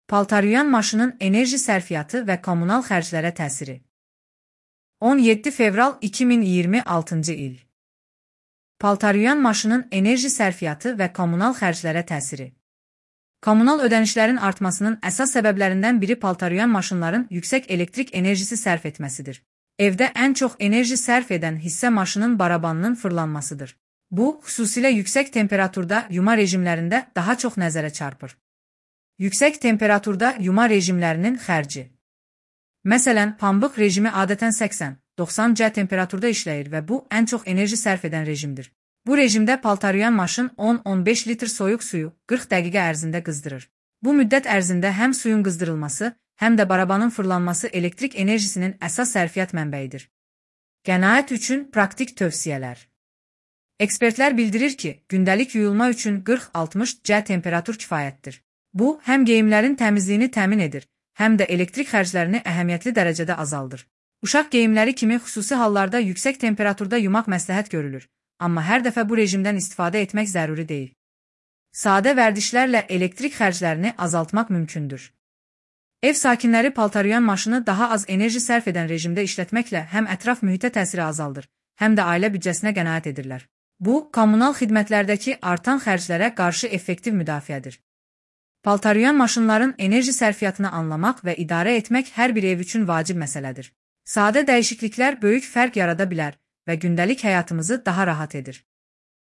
Paltaryuyan maşının enerji sərfiyyatı və kommunal xərclərə təsiri. 17 fevral 2026 il. Paltaryuyan maşının enerji sərfiyyatı və kommunal xərclərə təsiri. Kommunal ödənişlərin artmasının əsas səbəblərindən biri paltaryuyan maşınların yüksək elektrik enerjisi sərf etməsidir. Evdə ən çox enerji sərf edən hissə maşının barabanının fırlanmasıdır. Bu, xüsusilə yüksək temperaturda yuma rejimlərində daha çox nəzərə çarpır. Yüksək temperaturda yuma rejimlərinin xərci. Məsələn, pambıq rejimi adətən 80-90 C temperaturda işləyir və bu, ən çox enerji sərf edən rejimdir. Bu rejimdə paltaryuyan maşın 10-15 litr soyuq suyu 40 dəqiqə ərzində qızdırır. Bu müddət ərzində həm suyun qızdırılması, həm də barabanın fırlanması elektrik enerjisinin əsas sərfiyyat mənbəyidir. Qənaət üçün praktik tövsiyələr. Ekspertlər bildirir ki, gündəlik yuyulma üçün 40-60 C temperatur kifayətdir. Bu, həm geyimlərin təmizliyini təmin edir, həm də elektrik xərclərini əhəmiyyətli dərəcədə azaldır. Uşaq geyimləri kimi xüsusi hallarda yüksək temperaturda yumaq məsləhət görülür, amma hər dəfə bu rejimdən istifadə etmək zəruri deyil. Sadə vərdişlərlə elektrik xərclərini azaltmaq mümkündür. Ev sakinləri paltaryuyan maşını daha az enerji sərf edən rejimdə işlətməklə həm ətraf mühitə təsiri azaldır, həm də ailə büdcəsinə qənaət edirlər. Bu, kommunal xidmətlərdəki artan xərclərə qarşı effektiv müdafiədir. Paltaryuyan maşınların enerji sərfiyyatını anlamaq və idarə etmək hər bir ev üçün vacib məsələdir. Sadə dəyişikliklər böyük fərq yarada bilər və gündəlik həyatımızı daha rahat edir.